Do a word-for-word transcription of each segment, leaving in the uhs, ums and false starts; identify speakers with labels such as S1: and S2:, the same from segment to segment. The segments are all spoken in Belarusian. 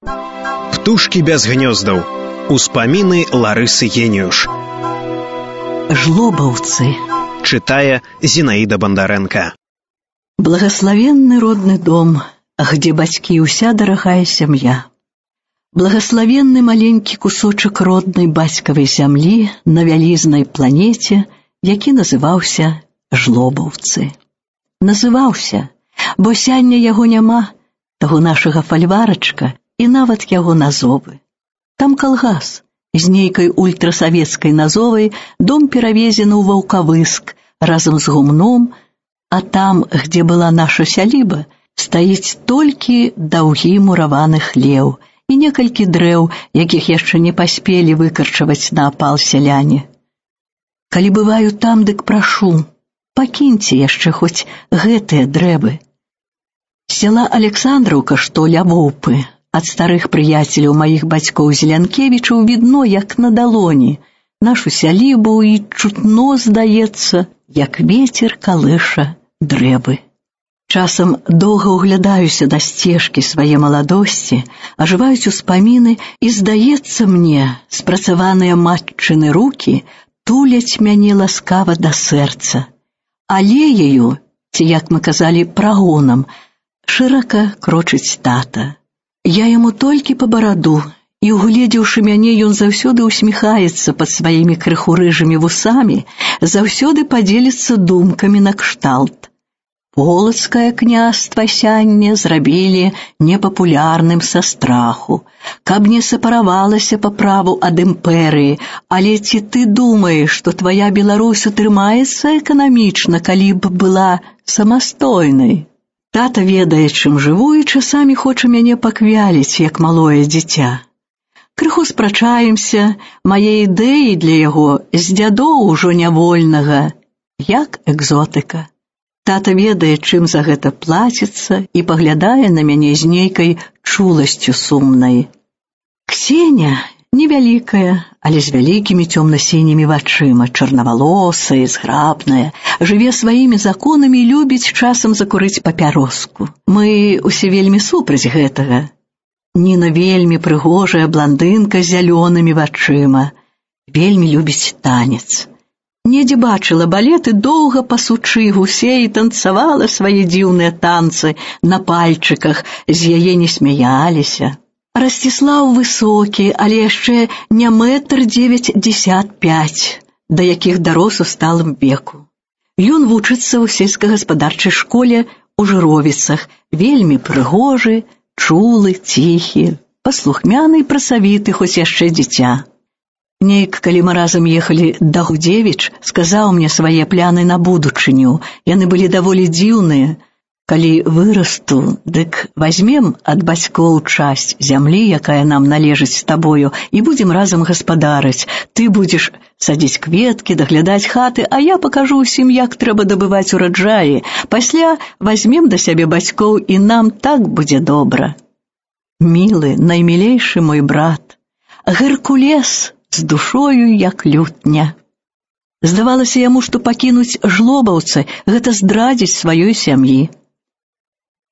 S1: Птушкі без гнёздаў. Успаміны Ларысы Геніюш.
S2: Жлобаўцы.
S1: Читая Зинаида Бондаренко.
S2: Благословенный родный дом, где бацькі и уся дорогая семья. Благословенный маленький кусочек родной бацькавай зямлі на вялізнай планете, які называўся Жлобаўцы. Называўся, бо сяння яго няма, таго нашага фальварачка і нават яго назовы. Там калгас. З нейкай ультрасавецкай назовай дом перавезены ў Ваўкавыск разам з гумном, а там, где была наша сяліба, стаіць толькі даўгі мураваны хлеў і некалькі дрэў, якіх яшчэ не паспелі выкарчаваць на апал сяляне. Калі бываю там, дык прашу, пакіньце яшчэ хоць гэтыя дрэвы. Села Александраўка, што ля Воўпы, ад старых прыяцеляў маіх бацькоў Зелянкевічаў відно, як на далоні, нашу сялібу і чутно, здаецца, як вецер калыша дрэвы. Часам доўга ўглядаюся да сцежкі свае маладосці, ажываюць успаміны, і, здаецца мне, спрацаваныя матчыны рукі туляць мяне ласкава да сэрца. Алеяю, ці, як мы казалі, прагонам, шырока крочыць тата. Я яму толькі па бараду, і, угледзеўшы мяне, ён заўсёды усміхаецца пад сваімі крыху рыжымі вусамі, заўсёды падзеліцца думкамі накшталт. Полацкае княства сянне зрабілі непапулярным са страху, каб не сепаравалася па праву ад імперыі, але ці ты думаеш, што твая Беларусь утрымаецца эканамічна, калі б была самастойнай? Тата ведае, чым жыву, і часамі хоча мяне паквяліць, як малое дзіця. Крыху спрачаемся, мае ідэі для яго з дзядоў ужо нявольнага, як экзотыка. Тата ведае, чым за гэта плаціцца, і паглядае на мяне з нейкай чуласцю сумнай. Ксеня невялікая, але з вялікімі цёмна-сінімі вачыма, чарнавалосая, зграбная, жыве сваімі законамі і любіць часам закурыць папяроску. Мы усе вельмі супраць гэтага. Ніна вельмі прыгожая бландынка з зялёнымі вачыма, вельмі любіць танец. Недзе бачыла балет і доўга пасучы гусей танцавала свае дзіўныя танцы на пальчыках, з яе не смяяліся. Расціслаў высокі, але яшчэ не метр дзевяцьдзесят пяць, да якіх дарос у сталым веку. Ён вучыцца ў сельскагаспадарчай школе ў Жыровіцах, вельмі прыгожы, чулы, ціхі, паслухмяны і працавіты, хоць яшчэ дзіця. Нейк, калі мы разам ехалі да Гудзевіч, сказаў мне свае пляны на будучыню. Яны былі даволі дзіўныя. Калі вырасту, дык вазьмем ад бацькоў часць зямлі, якая нам належыць з табою, і будзем разам гаспадарыць. Ты будзеш садзіць кветкі, даглядаць хаты, а я пакажу ўсім, як трэба дабываць ураджаі. Пасля вазьмем да сябе бацькоў, і нам так будзе добра. Мілы, наймілейшы мой брат, Геркулес з душою, як лютня. Здавалася яму, што пакінуць Жлобаўцы — гэта здрадзіць сваёй сям'і.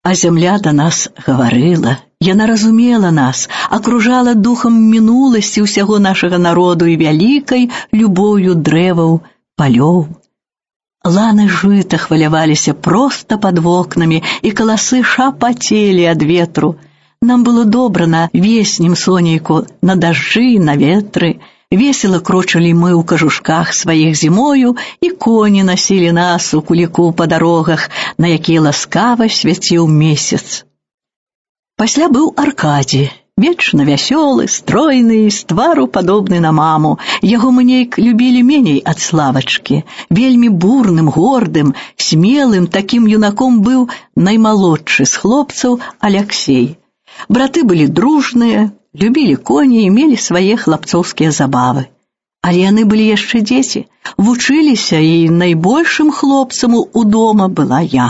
S2: А зямля да нас гаварыла, яна разумела нас, акружала духам мінуласці ўсяго нашага народу і вялікай любоўю дрэваў, палёў. Ланы жыта хваляваліся проста пад вокнамі, і каласы шапацелі ад ветру. Нам было добра на веснім сонейку, на дажджы, на ветры. Весела крочылі мы ў кажушках сваіх зімою, і коні насілі нас у куліку па дарогах, на якія ласкава свяціў месяц. Пасля быў Аркадзі, вечна вясёлы, стройны, з твару падобны на маму. Яго мы нейк любілі меней ад Славачкі. Вельмі бурным, гордым, смелым такім юнаком быў наймалодшы з хлопцаў Аляксей. Браты былі дружныя, любілі коні і мелі свае хлапцоўскія забавы. Але яны былі яшчэ дзеці, вучыліся, і найбольшым хлопцам у дома была я.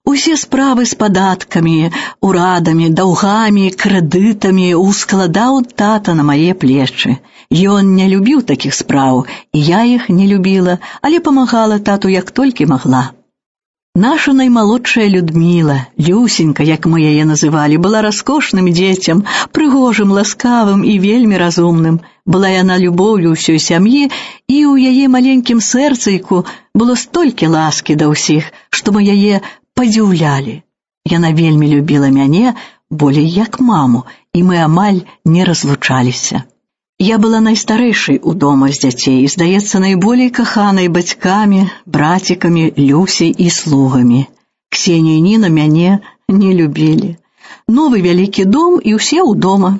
S2: Усе справы з падаткамі, урадамі, даўгамі, крэдытамі ускладаў тата на мае плечы. Ён не любіў такіх спраў, і я іх не любіла, але памагала тату як толькі магла. Наша наймалодшая Людміла, Люсенька, як мы яе называлі, была раскошным дзецям, прыгожым, ласкавым і вельмі разумным. Была яна любоўю ўсёй сям'і, і ў яе маленькім сэрцайку было столькі ласкі да ўсіх, што мы яе падзіўлялі. Яна вельмі любіла мяне, болей як маму, і мы амаль не разлучаліся. Я была найстарэйшай у дома з дзяцей, здаецца, найболей каханай бацькамі, брацікамі, Люсей і слугамі. Ксенія і Ніна мяне не любілі. Новы вялікі дом і ўсе ў дома.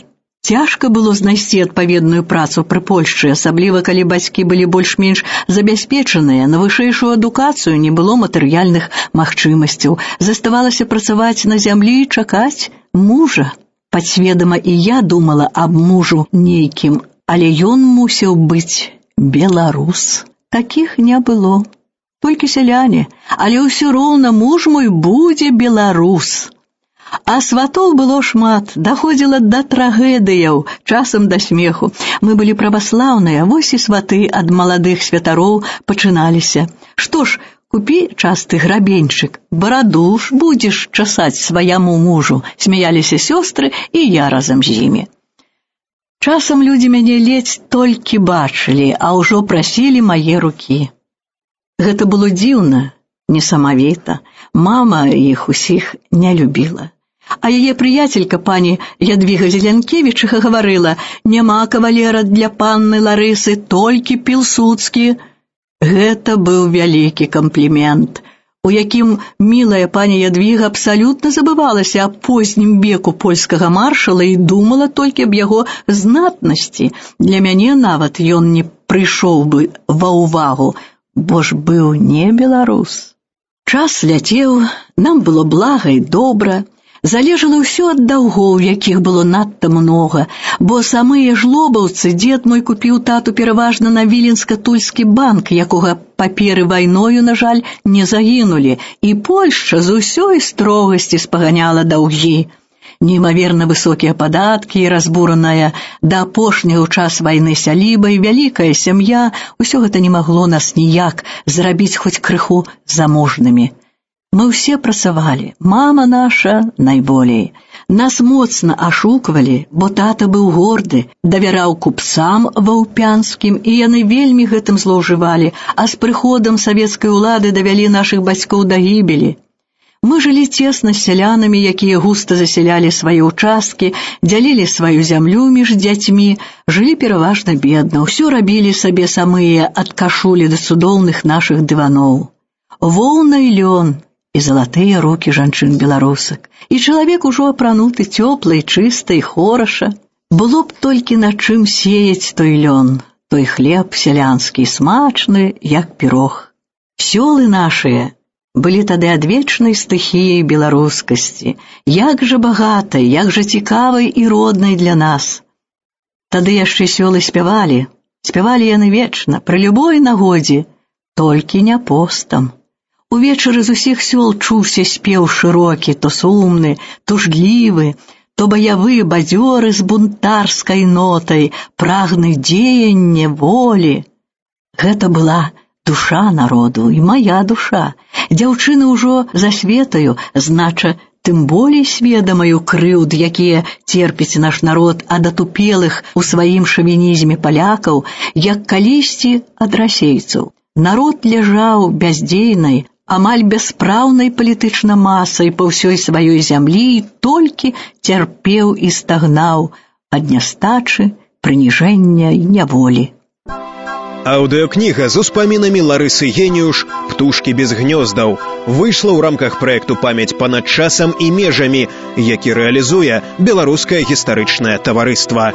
S2: Цяжка было знайсці адпаведную працу пры Польшчы, асабліва калі бацькі былі больш-менш забяспечаныя, на вышэйшую адукацыю не было матэрыяльных магчымасцяў. Заставалася працаваць на зямлі і чакаць мужа. Падсведама і я думала аб мужу нейкім, але ён мусіў быць беларус. Такіх не было. Толькі сяляне, але ўсё роўна муж мой будзе беларус. А сватоў было шмат, даходзіла да трагедыяў, часам да смеху. Мы былі праваслаўныя, вось і сваты ад маладых святароў пачыналіся. Што ж, купі часты грабеньчык, бараду ж будзеш часаць сваяму мужу, смяяліся сёстры і я разам з імі. Часам людзі мяне ледзь толькі бачылі, а ўжо прасілі мае рукі. Гэта было дзіўна, несамавіта. Мама іх усіх не любіла. А яе прыяцелька пані Ядвіга Зелянкевічыха гаварыла: «Няма кавалера для панны Ларысы, толькі Пілсудскі». Гэта быў вялікі камплімент, у якім мілая пані Ядвіга абсалютна забывалася аб познім веку польскага маршала і думала толькі аб яго знатнасці. Для мяне нават ён не прыйшоў бы ва ўвагу, бо ж быў не беларус. Час ляцеў, нам было блага і добра. Залежала ўсё ад даўгоў, якіх было надта многа, бо самыя жлобаўцы дзед мой купіў тату пераважна на Віленска-Тульскі банк, якога паперы вайною, на жаль, не загінулі, і Польшча з усёй строгасці спаганяла даўгі. Неймаверна высокія падаткі і разбураная да апошняга ў час вайны сяліба і вялікая сям'я, усё гэта не магло нас ніяк зрабіць хоць крыху заможнымі. Мы ўсе працавалі, мама наша найболей. Нас моцна ашуквалі, бо тата быў горды, давяраў купцам ваўпянскім, і яны вельмі гэтым злоўжывалі, а з прыходам савецкай улады давялі нашых бацькоў да гібелі. Мы жылі цесна з сялянамі, якія густа засялялі свае ўчасткі, дзялілі сваю зямлю між дзяцьмі, жылі пераважна бедна, ўсё рабілі сабе самыя ад кашулі да цудоўных нашых дываноў. Воўна і лён, і залатыя рукі жанчын-беларусак, і чалавек ужо апрануты цёпла і чыста і хораша. Было б толькі на чым сеяць той лён, той хлеб сялянскі, смачны, як пірог. Сёлы нашыя былі тады адвечнай стыхіяй беларускасці, як жа багатай, як жа цікавай і роднай для нас. Тады яшчэ сёлы спявалі, спявалі яны вечна, пры любой нагодзе, толькі не постам. Увечары з усіх сёл чуўся спеў шырокі, то сумны, тужлівы, то баявы бадзёры з бунтарскай нотай, прагны дзеяння, волі. Гэта была душа народу і мая душа. Дзяўчыны ўжо засветаю, знача, тым болей сведамаю крыўд, якія церпіць наш народ ад атупелых у сваім шавінізме палякаў, як калісьці ад расейцаў. Народ ляжаў бяздзейнай, амаль бяспраўнай палітычна масай па ўсёй сваёй зямлі і толькі цярпеў і стагнаў ад нястачы, прыніжэння і няволі.
S1: Аўдыёкніга з успамінамі Ларысы Геніуш «Птушкі без гнёздаў» выйшла ў рамках праекту «Памяць панад часам і межамі», які рэалізуе Беларускае гістарычнае таварыства.